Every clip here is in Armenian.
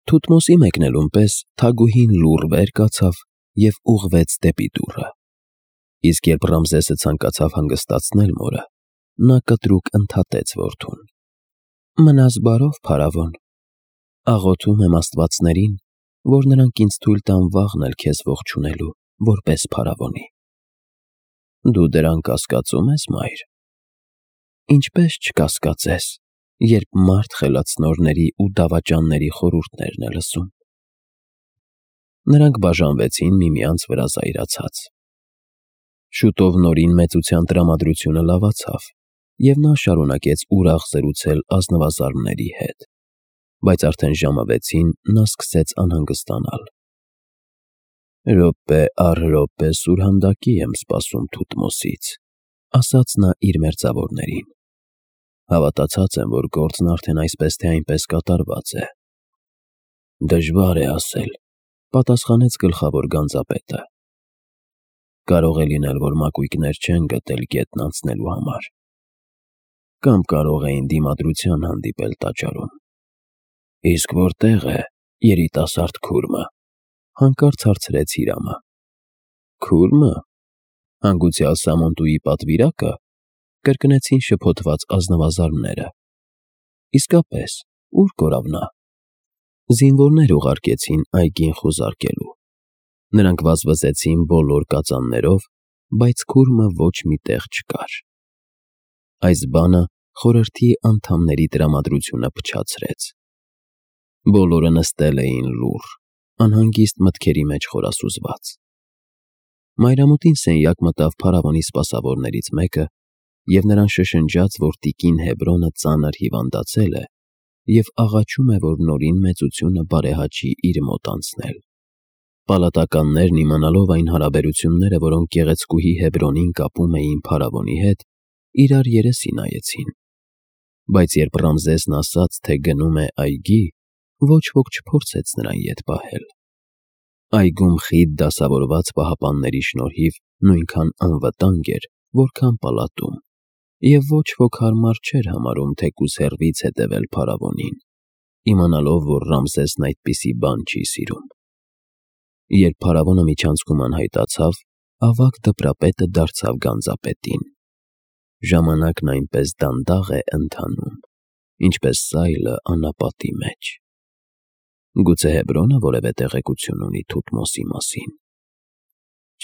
Թութմոսի մեկնելուն պես թագուհին լուռ վեր կացավ և ուղղվեց դեպի դուռը, իսկ երբ Ռամզեսը ցանկացավ հանգստացնել մորը, նա կտրուկ ընդհատեց որդուն. «Մնաս բարով, փարավոն, աղոթում եմ աստվածներին, որ նրանք ինձ թույլ տան վաղն էլ քեզ ողջունելու, որպես փարավոնի»։ Դու դրան կասկածում ես, մայր։ Ինչպես չկասկածես, երբ մարդ խելացնորների ու դավաճանների խորհուրդներն է լսում։ Նրանք բաժանվեցին միմյանց վրա զայրացած։ Շուտով Նորին մեծության տրամադրությունը լավացավ, և նա շարունակեց ուրախ զրուցել ազնվազարդների հետ, բայց արդեն ժամը 6-ին նա սկսեց անհանգստանալ։ «Րոպե առ րոպե սուրհանդակի եմ սպասում Թութմոսից», ասաց նա իր մերձավորներին։ «Հավատացած եմ, որ գործն արդեն այսպես թե այնպես կատարված է»։ «Դժվար է ասել», պատասխանեց գլխավոր գանձապետը։ «Կարող է լինել, որ մակույկներ չեն գտել գետն անցնելու համար, կամ կարող էին դիմադրության հանդիպել տաճարում»։ «Իսկ որտե՞ղ է երիտասարդ քուրմը», հանկարծ հարցրեց Հիրամը։ «Քուրմը, հանգուցյալ Սամոնտուի պատվիրակը», կրկնեցին շփոթված ազնվազարդները։ «Իսկապես, ուր կորավ նա»։ Զինվորներ ուղարկեցին այգին խուզարկելու։ Նրանք վազվզեցին բոլոր կածաններով, բայց քուրմը ոչ մի տեղ չկար։ Այս բանը խորհրդի անդամների տրամադրությունը փչացրեց։ Բոլորը նստել էին լուռ, անհանգիստ մտքերի մեջ խորասուզված։ Մայրամուտին սենյակ մտավ փարավոնի սպասավորներից մեկը և նրան շշնջաց, որ տիկին Հեբրոնը ծանր հիվանդացել է և աղաչում է, որ Նորին մեծությունը բարեհաճի իր մոտ անցնել։ Պալատականներն, իմանալով այն հարաբերությունները, որոնք գեղեցկուհի Հեբրոնին կապում էին փարավոնի հետ, իրար երեսի նայեցին։ Բայց երբ Ռամզեսն ասաց, թե գնում է այգի, ոչ ոք չփորձեց նրան ետ պահել։ Այգում խիտ դասավորված պահապանների շնորհիվ նույնքան անվտանգ էր, որքան պալատում, և ոչ ոք հարմար չէր համարում թեկուզ հեռվից հետևել փարավոնին, իմանալով, որ Ռամզեսն այդպիսի բան չի սիրում։ Երբ փարավոնը միջանցքում անհայտացավ, ավագ դպրապետը դարձավ գանձապետին։ Ժամանակն այնպես դանդաղ է ընթանում, ինչպես սայլը անապատի մեջ։ Գուցե Հեբրոնը որևէ տեղեկություն ունի Թութմոսի մասին։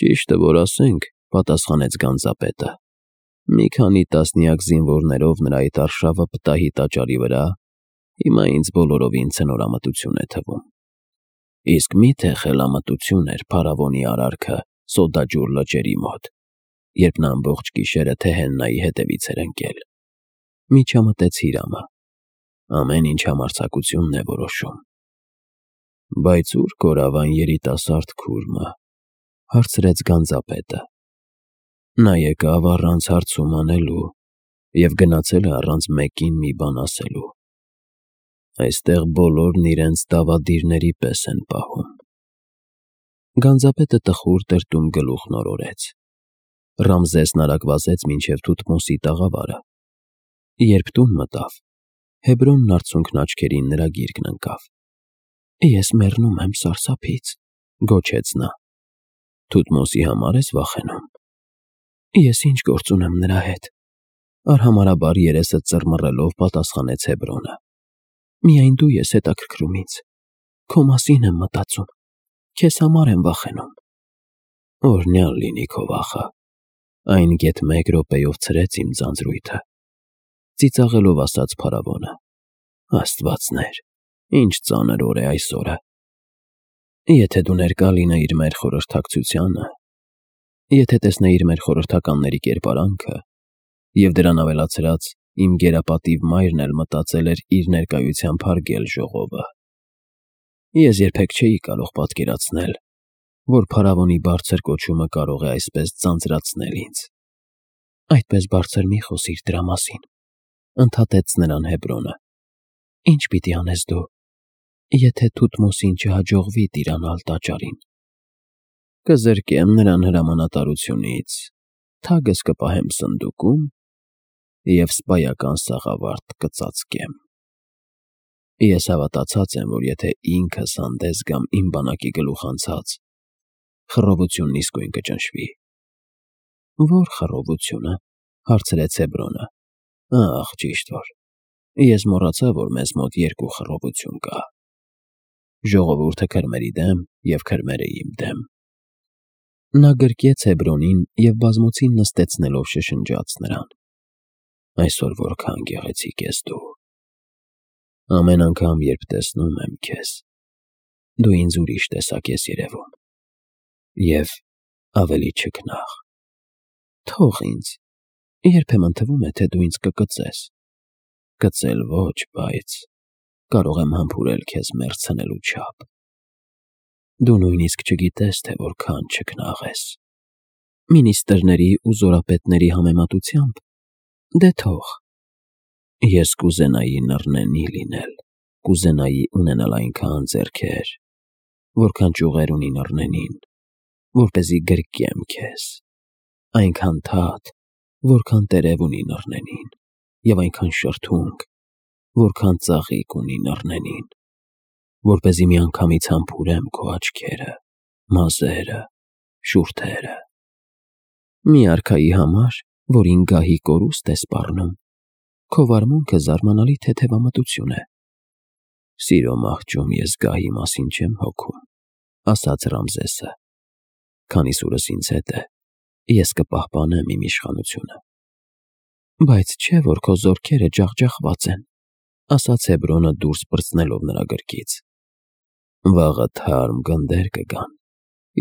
Ճիշտը որ ասենք, պատասխանեց գանձապետը, մի քանի տասնյակ զինվորներով նրա այդ արշավը պտահի տաճարի վրա հիմա ինձ բոլորովին ցնորամտություն է թվում։ Իսկ մի՞թե խելամտություն էր փարավոնի արարքը Սոդաջուր լճերի մոտ, երբ նա ամբողջ գիշերը Թեհեննայի հետևից էր ընկել։ Միջամտեց Հիրամը։ Ամեն ինչ համարձակությունն է որոշում։ Բայց ուր կորավ այն երիտասարդ քուրմը, հարցրեց գանձապետը։ Նա եկավ առանց հարցում անելու և գնացել է առանց մեկին մի բան ասելու։ Այստեղ բոլորն իրենց դավադիրների պես են պահում։ Գանձապետը տխուր տրտում գլուխն օրորեց։ Ռամզեսն արագ վազեց մինչև Թութմոսի տաղավարը։ Երբ տուն մտավ, Հեբրոնն արցունքն աչքերին նրա գիրկն ընկավ։ Ես մեռնում եմ սարսափից, գոչեց նա։ Թութմոսի համար ես վախենում։ Ես ինչ գործ ունեմ նրա հետ, արհամարհաբար երեսը ծռմռելով պատասխանեց Հեբրոնը։ Միայն դու ես հետաքրքրում ինձ, քո մասին եմ մտածում, քեզ համար եմ վախենում։ Օրհնյալ լինի քո վախը, այն գեթ մեկ րոպեով ցրեց իմ ձանձրույթը, ծիծաղելով ասաց փարավոնը։ Աստվածներ, ինչ ծանր օր է այս օրը։ Եթե դու ներկա լինեիր մեր խորհրդակցությանը, եթե տեսնեիր մեր խորհրդականների կերպարանքը, և դրան ավելացրած իմ գերապատիվ մայրն էլ մտածել էր իր ներկայությամբ հարգել ժողովը, ես երբեք չէի կարող պատկերացնել, որ փարավոնի բարձր կոչումը կարող է այսպես ձանձրացնել ինձ։ Այդպես բարձր մի խոսիր դրա մասին, ընդհատեց նրան Հեբրոնը։ Ինչ պիտի անես դու, եթե Թութմոսին չհաջողվի տիրանալ տաճարին։ Կզրկեմ նրան հրամանատարությունից, թագս կպահեմ սնդուկում և սպայական սաղավարտ կծածկեմ։ Ես հավատացած եմ, որ եթե ինքս հանդես գամ իմ բանակի գլուխ անցած, խռովությունն իսկույն կճնշվի։ Որ խռովությունը, հարցրեց Հեբրոնը։ Ահ, ճիշտ որ։ Ես մոռացա, որ մեզ մոտ երկու խռովություն կա. ժողովուրդը քրմերի դեմ և քրմերը իմ դեմ։ Նա գրկեց Հեբրոնին և բազմոցին նստեցնելով շշնջաց նրան. Այսօր որքան գեղեցիկ ես դու։ Ամեն անգամ, երբ տեսնում եմ քեզ, դու ինձ ուրիշ տեսակ ես երևում։ Եվ ավելի չքնաղ։ Թող ինձ, երբեմն թվում է, թե դու ինձ կկծես։ Կծել ոչ, բայց կարող եմ համբուրել քեզ մեռցնելու չափ։ Դու նույնիսկ չգիտես, թե որքան չքնաղ ես։ Մինիստրների ու զորապետների համեմատությամբ, դե թող։ Ես կուզենայի նռնենի լինել, կուզենայի ունենալ այնքան ձեռքեր, որքան ճյուղեր ունի նռնենին, որպեսզի գրկեմ քեզ, այնքան թաթ, որքան տերև ունի նռնենին, և այնքան շրթունք, որքան ծաղիկ ունի նռնենին, որպեսզի միանգամից համբուրեմ քո աչքերը, մազերը, շուրթերը։ Մի արքայի համար, որին գահի կորուստ է սպառնում, քո վարմունքը զարմանալի թեթևամտություն է։ Սիրո մահճում ես գահի մասին չեմ հոգում, ասաց Ռամզեսը։ Քանի սուրս ինձ հետ է, ես կպահպանեմ իմ իշխանությունը։ Բայց չէ, որ քո զորքերը ջախջախված են, ասաց Հեբրոնը դուրս պրծնելով նրա գրկից։ Վաղը թարմ գնդեր կգան,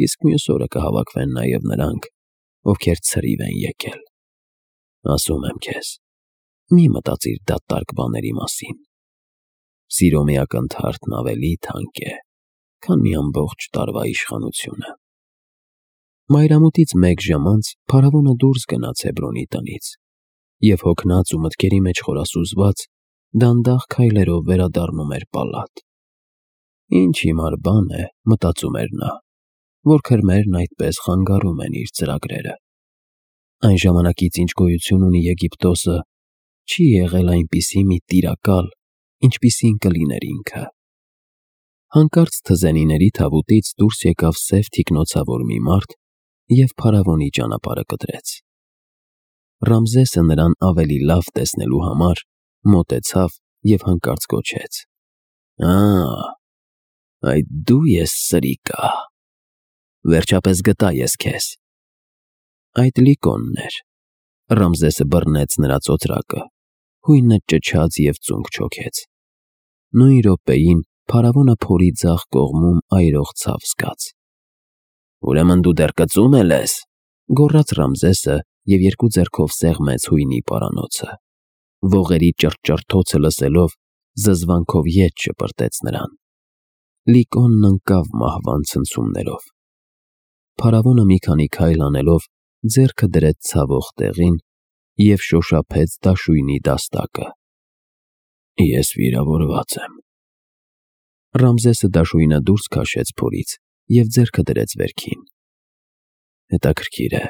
իսկ մյուս օրը կհավաքվեն նաև նրանք, ովքեր ցրիվ են եկել։ Ասում եմ քեզ, մի մտածիր դատարկ բաների մասին։ Սիրո մի ակնթարթն ավելի թանկ է, քան մի ամբողջ տարվա իշխանությունը։ Մայրամուտից մեկ ժամ անց փարավոնը դուրս գնաց Հեբրոնի տնից և հոգնած ու մտքերի մեջ խորասուզված դանդաղ քայլերով վերադառնում էր պալատ։ Ինչ հիմար բան է, մտածում էր նա, որ քրմերն այդպես խանգարում են իր ծրագրերը։ Այն ժամանակից, ինչ գոյություն ունի Եգիպտոսը, չի եղել այնպիսի մի տիրակալ, ինչպիսին կլիներ ինքը։ Հանկարծ թզենիների թավուտից դուրս եկավ սև թիկնոցավոր մի մարդ և փարավոնի ճանապարհը կտրեց։ Ռամզեսը նրան ավելի լավ տեսնելու համար մոտեցավ և հանկարծ գոչեց. Այդ դու ես սրիկա։ Վերջապես գտա ես քեզ։ Այդ Լիկոնն էր։ Ռամզեսը բռնեց նրա ծոծրակը, հույնը ճչաց և ծունկ չոքեց։ Նույն րոպեին փարավոնը փորի ձախ կողմում այրող ցավ զգաց։ Ուրեմն դու դեռ կծում ես, գոռաց Ռամզեսը և երկու ձեռքով սեղմեց հույնի պարանոցը։ Ողերի ճռճռթոցը լսելով, զզվանքով ետ շպրտեց նրան։ Լիկոնն ընկավ մահվան ցնցումներով։ Փարավոնը մի քանի քայլ անելով ձեռքը դրեց ցավող տեղին և շոշափեց դաշույնի դաստակը։ Ես վիրավորված եմ։ Ռամզեսը դաշույնը դուրս քաշեց փորից և ձեռքը դրեց վերքին։ Հետաքրքիր է,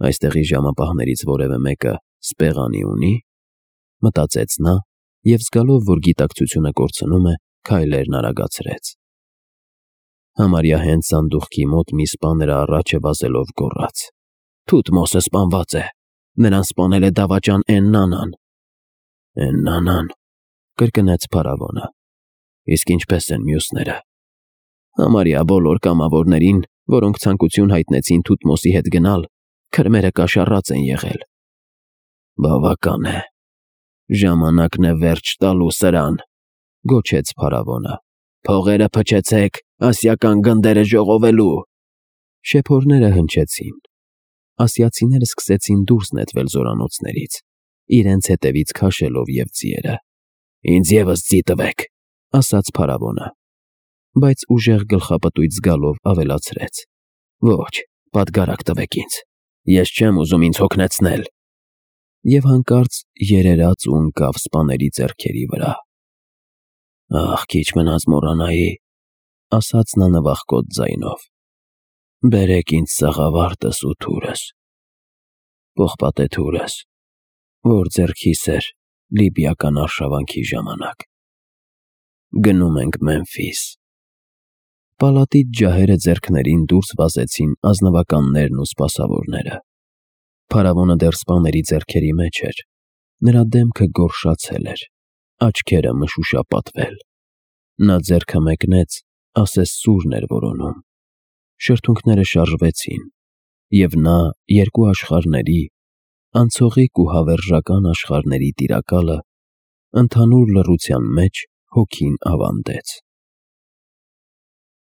այստեղի ժամապահներից որևէ մեկը սպեղանի ունի, մտածեց նա և զգալով, որ գիտակցությունը կորցնում է, քայլերն արագացրեց։ Համարյա հենց սանդուղքի մոտ մի սպա նրա առաջը վազելով գոռաց. Թութմոսը սպանված է, նրան սպանել է դավաճան Էննանան։ Էննանան, կրկնեց փարավոնը։ Իսկ ինչպես են մյուսները։ Համարյա բոլոր կամավորներին, որոնք ցանկություն հայտնեցին Թութմոսի հետ գնալ, քրմերը կաշառած են եղել։ Բավական է։ Ժամանակն է վերջ տալու սրան, գոչեց փարավոնը։ Փողերը փչեցեք, ասիական գնդերը ժողովելու։ Շեփորները հնչեցին։ Ասիացիները սկսեցին դուրս նետվել զորանոցներից, իրենց հետևից քաշելով և ձիերը։ Ինձ ևս ձի տվեք, ասաց փարավոնը, բայց ուժեղ գլխապտույտ զգալով ավելացրեց. Ոչ, պատգարակ տվեք ինձ, ես չեմ ուզում ինձ հոգնեցնել։ Եվ հանկարծ երերաց ու ընկավ սպաների ձեռքերի վրա։ Ախ, քիչ մնաց մոռանայի, ասաց նա նվախկոտ ձայնով. Բերեք ինձ սաղավարտս ու թուրս, պողպատե թուրս, որ ձեռքիս էր լիբիական արշավանքի ժամանակ։ Գնում ենք Մեմֆիս։ Պալատից ջահերը ձեռքներին դուրս վազեցին ազնվականներն ու սպասավորները։ Փարավոնը դեռ սպաների ձեռքերի մեջ էր, նրա դեմքը գորշացել էր, աչքերը մշուշապատվել։ Նա ձեռքը մեկնեց, ասես սուրն էր որոնում։ Շրթունքները շարժվեցին, և նա երկու աշխարհների, անցողիկ ու հավերժական աշխարհների տիրակալը, ընդհանուր լռության մեջ հոգին ավանդեց։